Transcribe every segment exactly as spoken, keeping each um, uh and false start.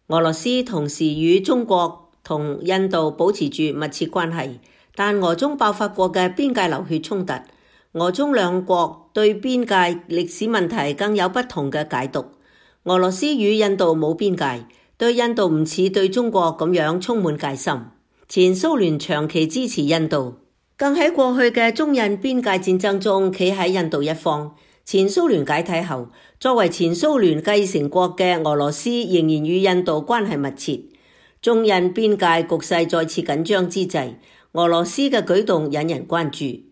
俄羅斯同時與中國同印度保持住密切關係，但俄中爆發過嘅邊界流血衝突，俄中兩國對邊界歷史問題更有不同嘅解讀。俄羅斯與印度冇邊界，對印度唔似對中國咁樣充滿戒心。前蘇聯長期支持印度，更喺過去嘅中印邊界戰爭中企喺印度一方。前蘇聯解體後，作為前蘇聯繼承國嘅俄羅斯仍然與印度關係密切。中印邊界局勢再次緊張之際，俄羅斯嘅舉動引人關注。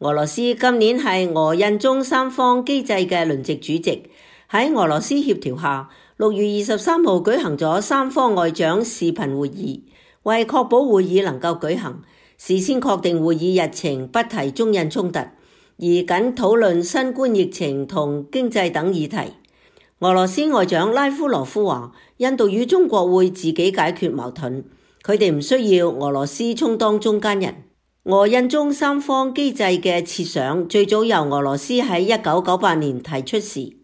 俄羅斯今年係俄印中三方機制嘅輪值主席，喺俄羅斯協調下，六月二十三號舉行咗三方外長視頻會議，為確保會議能夠舉行，事先確定會議日程，不提中印衝突，而僅討論新冠疫情同經濟等議題。俄羅斯外長拉夫羅夫話，印度與中國會自己解決矛盾，佢哋唔需要俄羅斯充當中間人。俄印中三方機制嘅設想最早由俄羅斯喺一九九八年提出時，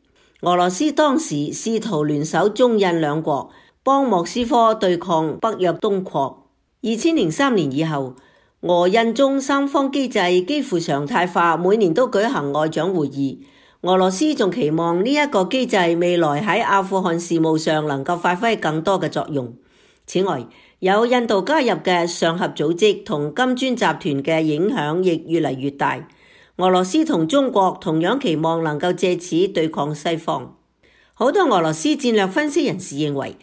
俄羅斯當時試圖聯手中印兩國，幫莫斯科對抗北約東擴。二千零三年以後，俄印中三方機制幾乎常態化，每年都舉行外長會議。俄羅斯仲期望呢一個機制未來喺阿富汗事務上能夠發揮更多嘅作用。此外，有印度加入嘅上合組織同金磚集團嘅影響亦越嚟越大。俄羅斯同中國同樣期望能夠借此對抗西方。好多俄羅斯戰略分析人士認為，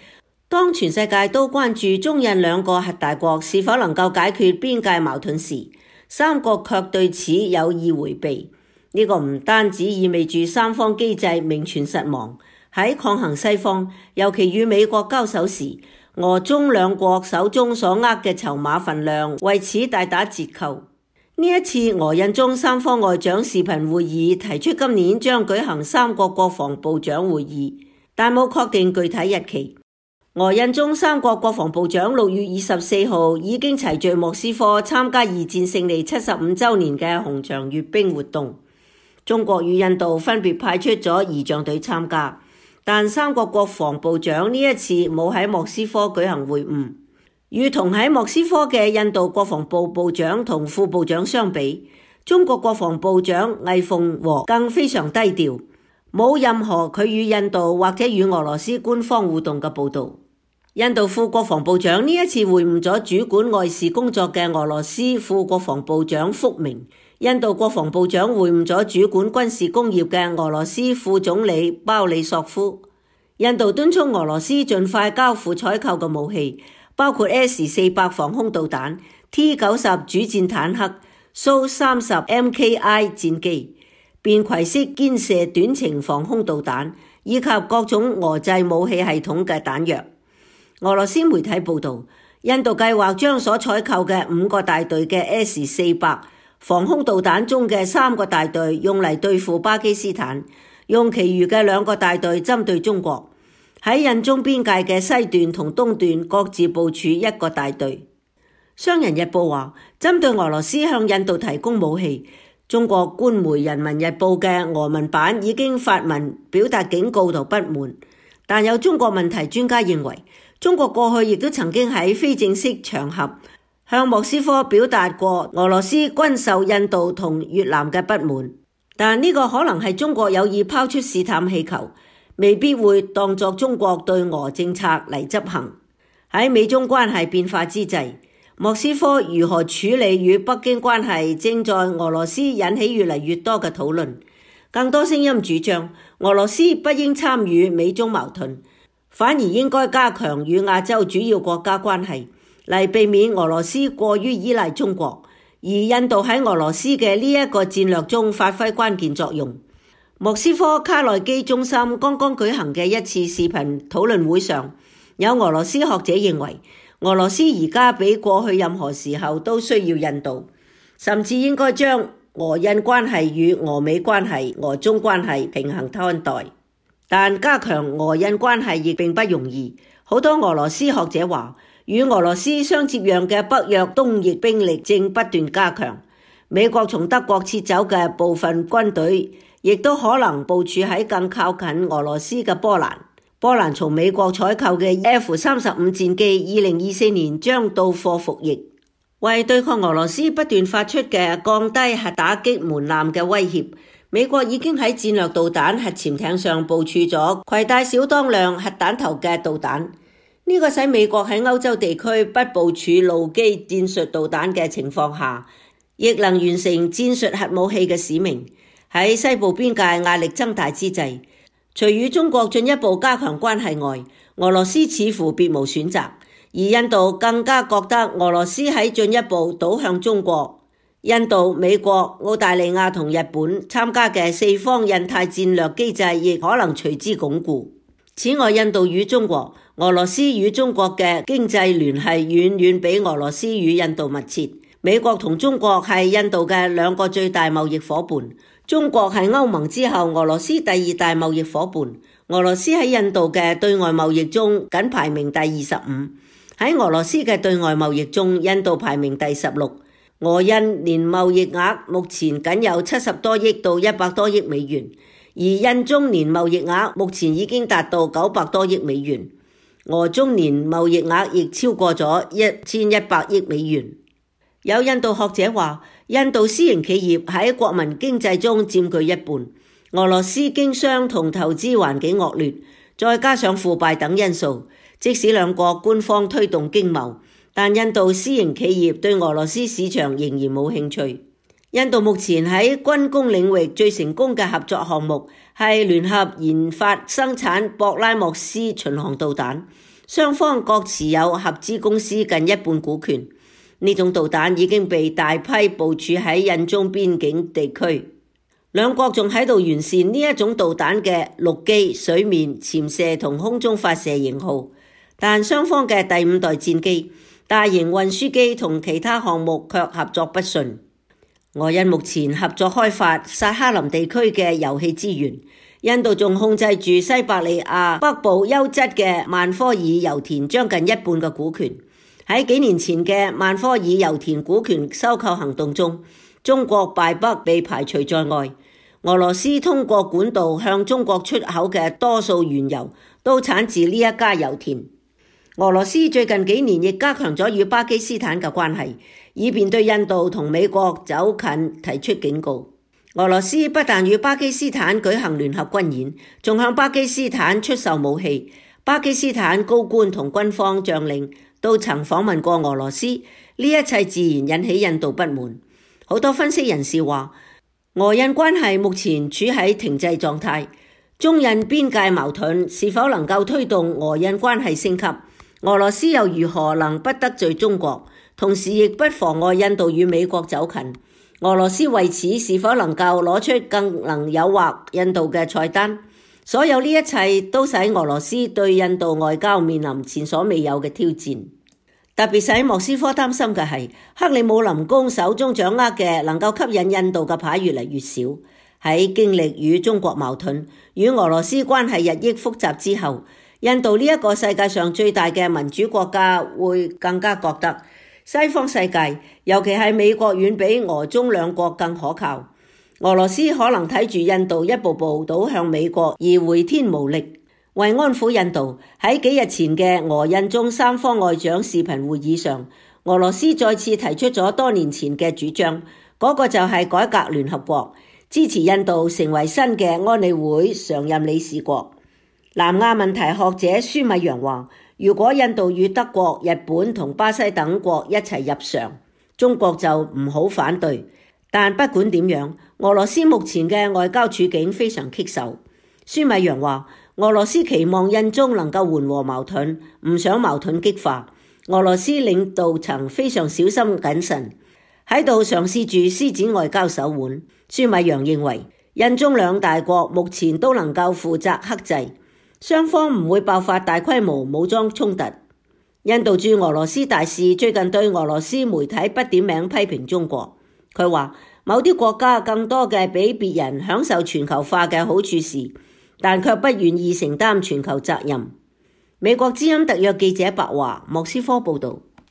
當全世界都關注中印兩個核大國是否能夠解決邊界矛盾時，三國卻對此有意迴避。呢個唔單止意味住三方機制名存實亡，喺抗衡西方，尤其與美國交手時，俄中兩國手中所握嘅籌碼份量為此大打折扣。呢一次俄印中三方外長視頻會議提出今年將舉行三國國防部長會議，但冇確定具體日期。俄印中三國國防部長六月二十四號已經齊聚莫斯科參加二戰勝利七十五週年嘅紅場閱兵活動。中國與印度分別派出咗儀仗隊參加，但三國國防部長呢一次冇喺莫斯科舉行會晤。與同喺莫斯科嘅印度國防部部長同副部長相比，中國國防部長魏鳳和更非常低調，冇任何佢與印度或者與俄羅斯官方互動嘅報導。印度副國防部長呢一次會晤咗主管外事工作嘅俄羅斯副國防部長福明，印度國防部長會晤咗主管軍事工業嘅俄羅斯副總理鮑里索夫。印度敦促俄羅斯盡快交付採購嘅武器，包括 S 四百防空導彈、T 九十主戰坦克、蘇三十 M K I 戰機、便攜式肩射短程防空導彈，以及各種俄製武器系統嘅彈藥。俄羅斯媒體報導，印度計劃將所採購嘅五個大隊嘅 S 四百防空導彈中嘅三個大隊用嚟對付巴基斯坦，用其餘嘅兩個大隊針對中國。喺印中邊界嘅西段同東段各自部署一個大隊。商人日報話，針對俄羅斯向印度提供武器，中國官媒人民日報嘅俄文版已經發文表達警告同不滿。但有中國問題專家認為，中國過去亦都曾經喺非正式場合向莫斯科表達過俄羅斯軍售印度同越南嘅不滿，但呢個可能係中國有意拋出試探氣球，未必會當作中國對俄政策嚟執行。喺美中關係變化之際，莫斯科如何處理與北京關係正在俄羅斯引起越嚟越多嘅討論。更多聲音主張俄羅斯不應參與美中矛盾，反而應該加強與亞洲主要國家關係，嚟避免俄羅斯過於依賴中國，而印度喺俄羅斯嘅呢一個戰略中發揮關鍵作用。莫斯科卡內基中心剛剛舉行嘅一次視頻討論會上，有俄羅斯學者認為，俄羅斯而家比過去任何時候都需要印度，甚至應該將俄印關係與俄美關係、俄中關係平衡看待。但加強俄印關係亦並不容易。好多俄羅斯學者話，與俄羅斯相接壤嘅北約東翼兵力正不斷加強，美國從德國撤走嘅部分軍隊亦都可能部署喺更靠近俄羅斯嘅波蘭。波蘭從美國採購嘅 F 三十五戰機，二零二四年將到貨服役。為對抗俄羅斯不斷發出嘅降低核打擊門檻嘅威脅，美國已經喺戰略導彈核潛艇上部署咗攜帶小當量核彈頭嘅導彈。呢個使美國喺歐洲地區不部署陸基戰術導彈嘅情況下，亦能完成戰術核武器嘅使命。喺西部邊界壓力增大之際，除與中國進一步加強關係外，俄羅斯似乎別無選擇，而印度更加覺得俄羅斯喺進一步倒向中國。印度、美國、澳大利亞同日本參加嘅四方印太戰略機制亦可能隨之鞏固。此外，印度與中國、俄羅斯與中國嘅經濟聯繫遠遠比俄羅斯與印度密切。美國同中國係印度嘅兩個最大貿易夥伴，中國係歐盟之後俄羅斯第二大貿易夥伴。俄羅斯喺印度嘅對外貿易中僅排名第二十五，喺俄羅斯嘅對外貿易中，印度排名第十六。俄印年貿易額目前僅有七十多億到一百多億美元，而印中年貿易額目前已經達到九百多億美元，俄中年貿易額亦超過咗一千一百億美元。有印度學者話，印度私營企業喺國民經濟中佔據一半，俄羅斯經商同投資環境惡劣，再加上腐敗等因素，即使兩國官方推動經貿，但印度私營企業對俄羅斯市場仍然冇興趣。印度目前喺軍工領域最成功嘅合作項目係聯合研發生產博拉莫斯巡航導彈，雙方各持有合資公司近一半股權。呢種導彈已經被大批部署喺印中邊境地區，兩國仲喺度完善呢一種導彈嘅陸基、水面、潛射同空中發射型號，但雙方嘅第五代戰機、大型運輸機同其他項目卻合作不順。俄印目前合作開發薩哈林地區嘅油氣資源，印度仲控制住西伯利亞北部優質嘅曼科爾油田將近一半嘅股權。喺幾年前嘅曼科爾油田股權收購行動中，中國敗北被排除在外。俄羅斯通過管道向中國出口嘅多數原油都產自呢一家油田。俄羅斯最近幾年亦加強咗與巴基斯坦嘅關係，以便對印度同美國走近提出警告。俄羅斯不但與巴基斯坦舉行聯合軍演，仲向巴基斯坦出售武器。巴基斯坦高官同軍方將領都曾訪問過俄羅斯，呢一切自然引起印度不滿。好多分析人士話，俄印關係目前處喺停滯狀態，中印邊界矛盾是否能夠推動俄印關係升級？俄羅斯又如何能不得罪中國，同時亦不妨礙印度與美國走近？俄羅斯為此是否能夠攞出更能誘惑印度嘅菜單？所有呢一切都使俄羅斯對印度外交面臨前所未有嘅挑戰。特別使莫斯科擔心嘅係，克里姆林宮手中掌握嘅能夠吸引印度嘅牌越嚟越少。喺經歷與中國矛盾、與俄羅斯關係日益複雜之後，印度呢一個世界上最大嘅民主國家會更加覺得西方世界，尤其係美國遠比俄中兩國更可靠。俄羅斯可能睇住印度一步步倒向美國而回天無力。為安撫印度，喺幾日前嘅俄印中三方外長視頻會議上，俄羅斯再次提出咗多年前嘅主張，嗰、那個就係改革聯合國，支持印度成為新嘅安理會常任理事國。南亞問題學者舒米揚話，如果印度與德國、日本同巴西等國一齊入常，中國就唔好反對。但不管點樣，俄羅斯目前嘅外交處境非常棘手。舒米揚話，俄羅斯期望印中能夠緩和矛盾，唔想矛盾激化。俄羅斯領導層非常小心謹慎，喺度嘗試住施展外交手腕。舒米揚認為，印中兩大國目前都能夠負責克制，雙方唔會爆發大規模武裝衝突。印度駐俄羅斯大使最近對俄羅斯媒體不點名批評中國。佢話某啲國家更多嘅比別人享受全球化嘅好處時，但卻不願意承擔全球責任。美國之音特約記者白華，莫斯科報道。